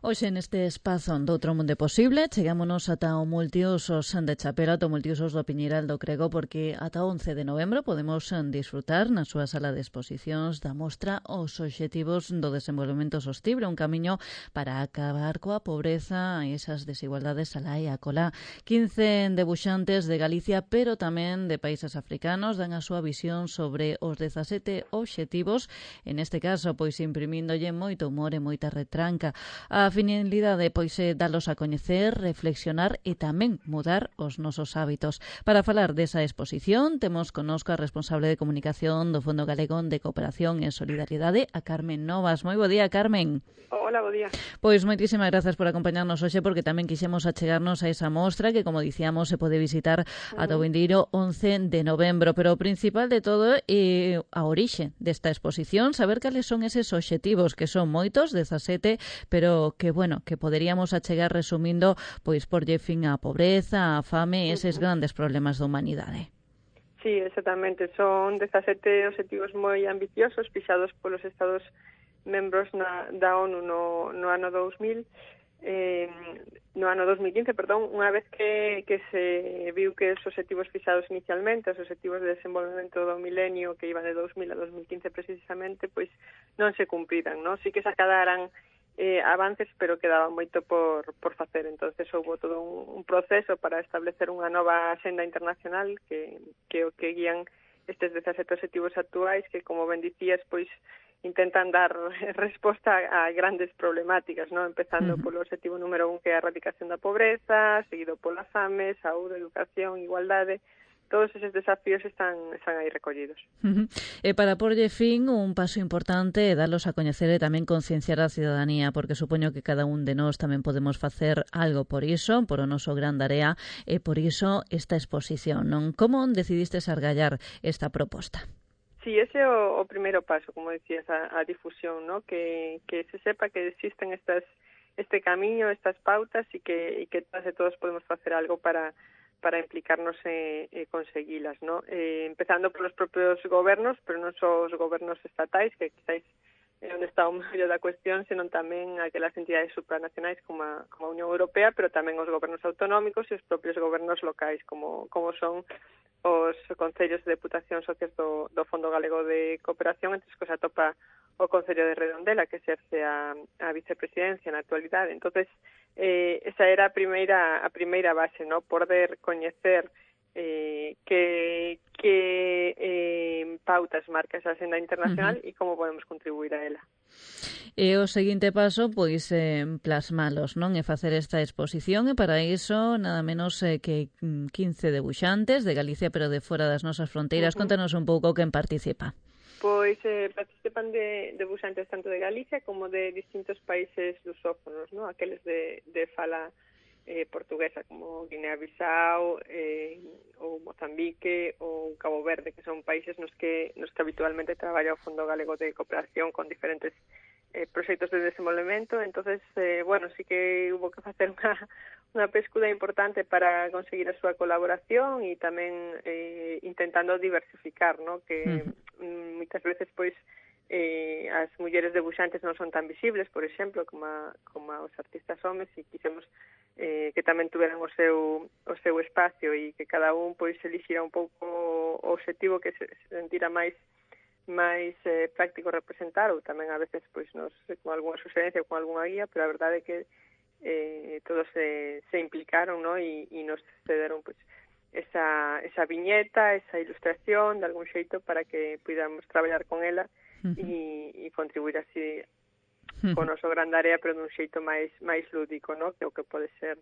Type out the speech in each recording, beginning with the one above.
Hoxe neste espazo doutro mundo posible chegámonos ata o multiusos de Chapela, ata o multiusos do Piñeiral do Crego, porque ata o 11 de novembro podemos disfrutar na súa sala de exposicións da mostra Os Obxectivos do Desenvolvemento Sostible, un camiño para acabar coa pobreza e esas desigualdades alá e acolá. 15 debuxantes de Galicia, pero tamén de países africanos, dan a súa visión sobre os 17 obxectivos, en este caso, pois imprimíndolle moito humor e moita retranca. A finalidade, pois, é dalos a coñecer, reflexionar e tamén mudar os nosos hábitos. Para falar desa exposición, temos connosco a responsable de comunicación do Fondo Galego de Cooperación e Solidariedade, a Carmen Novas. Moi bo día, Carmen. Hola, bo día. Pois moitísimas grazas por acompañarnos hoxe, porque tamén quixemos achegarnos a esa mostra que, como dicíamos, se pode visitar ata o vindeiro 11 de novembro. Pero o principal de todo é a orixe desta exposición, saber cales son eses obxectivos, que son moitos, 17, pero que poderíamos achegar resumindo, pois porlle fin á pobreza, á fame e eses grandes problemas da humanidade. Sí, exactamente. Son 17 obxectivos moi ambiciosos, fixados polos Estados membros da ONU no ano 2000, no ano 2015, unha vez que se viu que os obxectivos fixados inicialmente, os obxectivos de desenvolvemento do milenio que iban de 2000 a 2015 precisamente, pois non se cumpriran, non? Sí que se acadaran avances, pero quedaba moito por facer. Entonces houve todo un proceso para establecer unha nova axenda internacional que o que guían estes 17 obxectivos actuais, que, como ben dicías, pois intentan dar resposta a grandes problemáticas, ¿no? Empezando polo obxectivo número 1, que é a erradicación da pobreza, seguido pola fame, saúde, educación, igualdade. Todos eses desafíos están aí recollidos. E para porlle fin, un paso importante é dalos a coñecer e tamén concienciar a cidadanía, porque supoño que cada un de nós tamén podemos facer algo por iso, por o noso gran tarea, e por iso esta exposición, non? Como decidistes argallar esta proposta? Sí, ese é o primeiro paso, como decías, a difusión, ¿no? Que se sepa que existen este camiño, estas pautas, e que todas e todos podemos facer algo para implicarnos e conseguilas, ¿no? Empezando polos propios gobernos, pero non só os gobernos estatais, que quizás é onde está o meollo da cuestión, senón tamén aquelas entidades supranacionais como a Unión Europea, pero tamén os gobernos autonómicos e os propios gobernos locais, como son os concellos de deputación socias do Fondo Galego de Cooperación, entre os que se atopa o Concello de Redondela, que exerce a vicepresidencia na actualidade. Entonces, esa era a primeira base, ¿no? Poder coñecer que pautas marca esa axenda internacional e como podemos contribuir a ela. E o seguinte paso, pois, plasmalos, non? E facer esta exposición, e para iso nada menos que 15 debuxantes de Galicia, pero de fora das nosas fronteiras. Contanos un pouco quen participa. Pois participan debuxantes tanto de Galicia como de distintos países lusófonos, ¿no? Aqueles de fala portuguesa, como Guinea-Bissau, ou Mozambique, ou Cabo Verde, que son países nos que habitualmente traballa o Fondo Galego de Cooperación con diferentes proxectos de desenvolvemento. Entonces, sí que hubo que facer unha pescuda importante para conseguir a súa colaboración e tamén intentando diversificar, ¿no? Que moitas veces, pois, as mulleres debuxantes non son tan visibles, por exemplo, como os artistas homes, e quixemos que tamén tuveran o seu espacio e que cada un, pois, elixira un pouco o obxectivo que se sentira máis práctico representar, ou tamén a veces pois con algunha suxerencia ou con algunha guía, pero a verdade é que todos se implicaron, ¿no? E nos cederon pois esa viñeta, esa ilustración de algún xeito para que pudamos traballar con ela e contribuir así con o noso gran área, pero dun xeito máis lúdico, ¿no? Que o que pode ser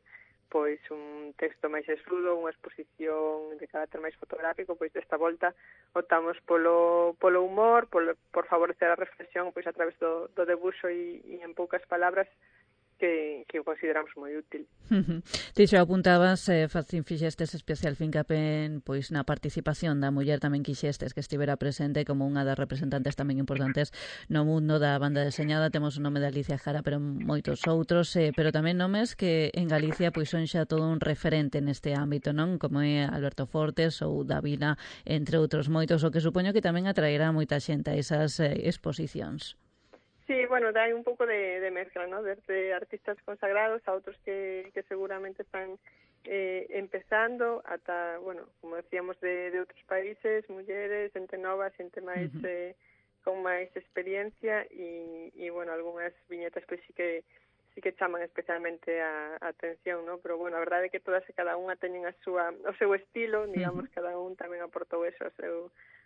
pois un texto máis esludo, unha exposición de carácter máis fotográfico. Pois desta volta optamos polo humor, por favorecer a reflexión pois a través do debuxo e en poucas palabras, que o consideramos moi útil. Ti xa apuntabas, fixestes especial fincapé pois na participación da muller, tamén quixestes que estivera presente como unha das representantes tamén importantes no mundo da banda deseñada. Temos o nome de Alicia Jara, pero moitos outros, pero tamén nomes que en Galicia pois son xa todo un referente neste ámbito, non? Como é Alberto Fortes ou Davila, entre outros moitos, o que supoño que tamén atraerá moita xente a esas exposicións. Sí, bueno, hay un pouco de mezcla, ¿no? Desde artistas consagrados a outros que seguramente están empezando, ata, bueno, como decíamos, de outros países, mulleres, xente nova, xente máis con máis experiencia e bueno, algunhas viñetas pois sí que chaman especialmente a atención, ¿no? Pero bueno, a verdade é que todas e cada unha teñen o seu estilo, digamos, cada un tamén aportou eso,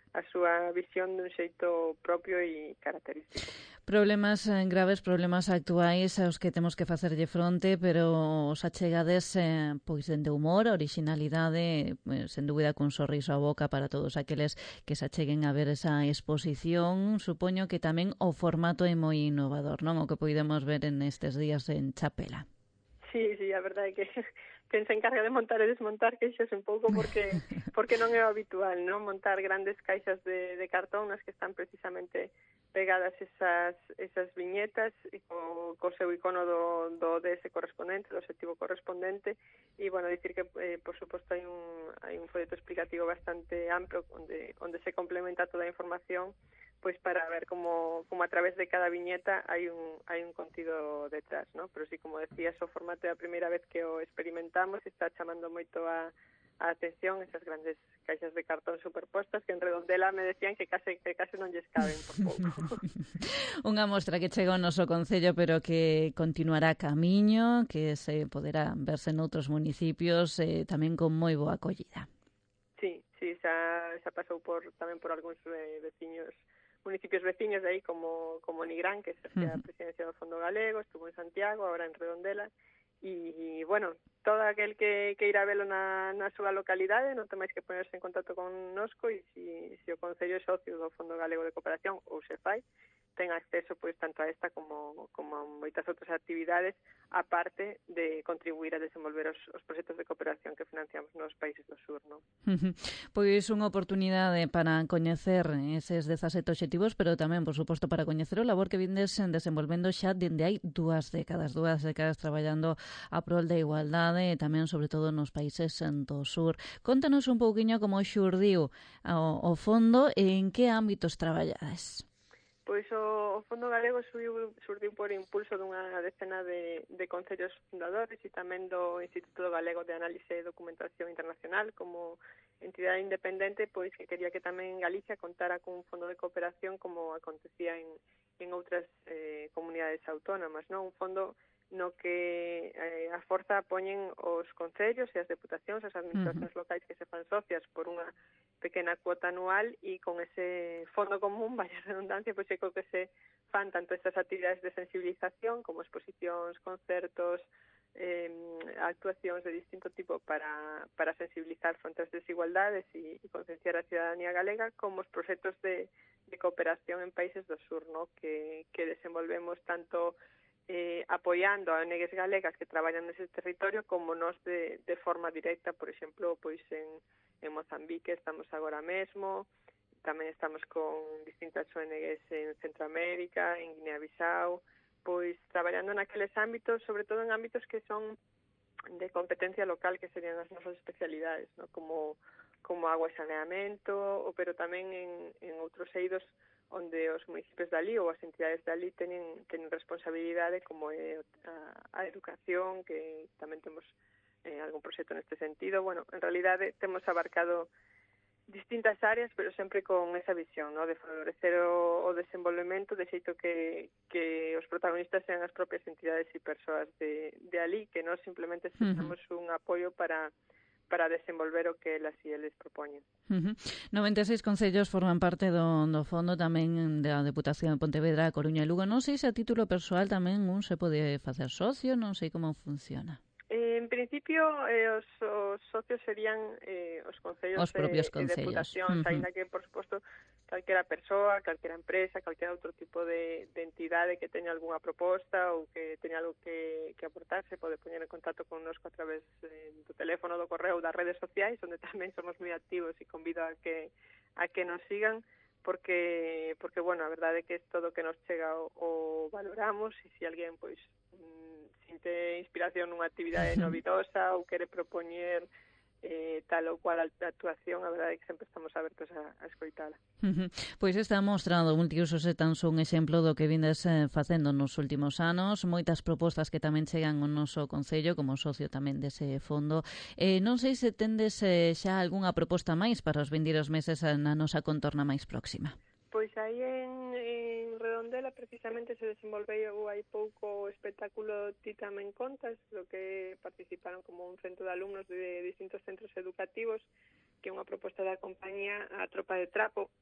a súa visión dun xeito propio e característico. Problemas graves, problemas actuais aos que temos que facerlle fronte, pero os achegades pois dende humor, originalidade, sen dúbida cun sorriso á boca para todos aqueles que se acheguen a ver esa exposición. Supoño que tamén o formato é moi innovador, non? O que podemos ver en estes días en Chapela. Sí, a verdade é que quen se encarga de montar e desmontar queixas un pouco porque non é o habitual, non? Montar grandes caixas de cartón nas que están precisamente pegadas esas viñetas e co seu icono do DS correspondente, do obxectivo correspondente, e, bueno, dicir que, por suposto, hai un folleto explicativo bastante amplo onde se complementa toda a información pois para ver como a través de cada viñeta hai un contido detrás, ¿no? Pero sí, como decías, o formato é a primeira vez que o experimentamos, está chamando moito a atención esas grandes caixas de cartón superpostas que en Redondela me decían que case non lles caben por pouco. Unha mostra que chega ao noso concello, pero que continuará camiño, que se poderá verse noutros municipios, tamén con moi boa acollida. Sí, xa pasou tamén por algúns municipios veciños de aí como Nigrán, que exerce a presidencia do Fondo Galego, estuvo en Santiago, agora en Redondela, e bueno, todo aquel que irá velo na súa localidade non temáis que ponerse en contacto con nosco e se o Concello é socio do Fondo Galego de Cooperación ou se fai, ten acceso pois tanto a esta como a moitas outras actividades, aparte de contribuir a desenvolver os proxectos de cooperación que financiamos nos países do sur, non? Pois unha oportunidade para coñecer eses 17 obxectivos, pero tamén, por suposto, para coñecer o labor que vindes desenvolvendo xa dende hai 2 décadas traballando a prol da igualdade e tamén, sobre todo, nos países do sur. Contanos un pouquiño como xurdiu o fondo e en que ámbitos traballades. Pois o Fondo Galego surdiu por impulso dunha decena de concellos fundadores e tamén do Instituto Galego de Análise e Documentación Internacional como entidade independente, pois que quería que tamén Galicia contara cun fondo de cooperación como acontecía en outras comunidades autónomas, non? Un fondo no que a forza poñen os concellos e as deputacións, as administracións locais que se fan socias por unha pequena cuota anual e con ese fondo común, vaya redundancia, pois é co que se fan tanto estas actividades de sensibilización como exposicións, concertos, actuacións de distinto tipo para sensibilizar fronte ás desigualdades e concienciar a ciudadanía galega, como os proxectos de cooperación en países do sur, ¿no? que desenvolvemos tanto apoiando a ONGs galegas que traballan nese territorio como nós de forma directa, por exemplo, pois en Mozambique estamos agora mesmo, tamén estamos con distintas ONGs en Centroamérica, en Guinea-Bissau, pois traballando naqueles ámbitos, sobre todo en ámbitos que son de competencia local, que serían as nosas especialidades, ¿no? como agua e saneamento, pero tamén en outros eidos onde os municipios dali ou as entidades dali teñen responsabilidade, como é a educación, que tamén temos algún proxecto neste sentido. Bueno, en realidade temos abarcado distintas áreas, pero sempre con esa visión, ¿no? De favorecer o desenvolvemento de xeito que os protagonistas sean as propias entidades e persoas de ali, que nós simplemente sentamos un apoio para desenvolver o que elas e eles propoñen. 96 concellos forman parte do fondo tamén da Deputación de Pontevedra, Coruña e Lugo. Non sei se a título persoal tamén un se pode facer socio, non sei como funciona. En principio, os socios serían os concellos e deputacións, ainda que, por suposto, calquera persoa, calquera empresa, calquera outro tipo de entidade que teña algunha proposta ou que teña algo que aportar, se pode poñer en contacto connosco a través do teléfono, do correo ou das redes sociais, onde tamén somos moi activos e convido a que nos sigan, porque bueno, a verdade é que todo o que nos chega o valoramos, e se alguén, pois, sinte inspiración nunha actividade novidosa ou quere propoñer tal ou cual actuación, a verdade é que sempre estamos abertos a escoitala. Pois está mostrando multiusos e tan só un exemplo do que vindes facendo nos últimos anos, moitas propostas que tamén chegan ao noso Concello como socio tamén dese fondo. Non sei se tendes xa algunha proposta máis para os vindeiros meses na nosa contorna máis próxima. Pois aí en Redondela precisamente se desenvolveu hai pouco o espectáculo Ti tamén contas, do que participaron como un cento de alumnos de distintos centros educativos, que é unha proposta da compañía A Tropa de Trapo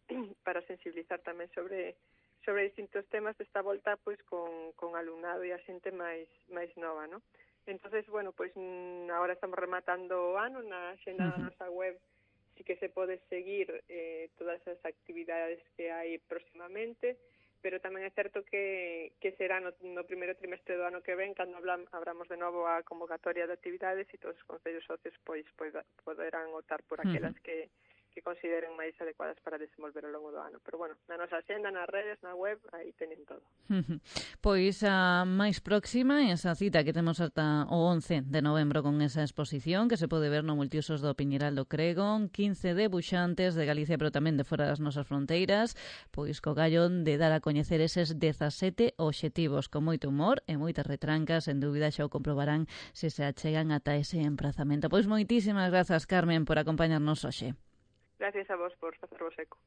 para sensibilizar tamén sobre distintos temas desta volta pois con alumnado e a xente máis nova, ¿no? Entonces, bueno, pois agora estamos rematando o ano na xenda da nosa web. Sí que se pode seguir todas as actividades que hai próximamente, pero tamén é certo que será no primeiro trimestre do ano que ven cando abramos de novo a convocatoria de actividades e todos os concellos socios pois poderán optar por aquelas que consideren máis adecuadas para desenvolver ao longo do ano. Pero bueno, na nosa xenda, nas redes, na web, aí teñen todo. Pois a máis próxima é esa cita que temos ata o 11 de novembro con esa exposición que se pode ver no Multiusos do Piñeral do Crego, 15 debuxantes de Galicia, pero tamén de fora das nosas fronteiras, pois co gallo de dar a coñecer eses 17 obxectivos con moito humor e moitas retrancas, en dúbida xa o comprobarán se se achegan ata ese emprazamento. Pois moitísimas grazas, Carmen, por acompañarnos hoxe. Gracias a vos por facervos eco.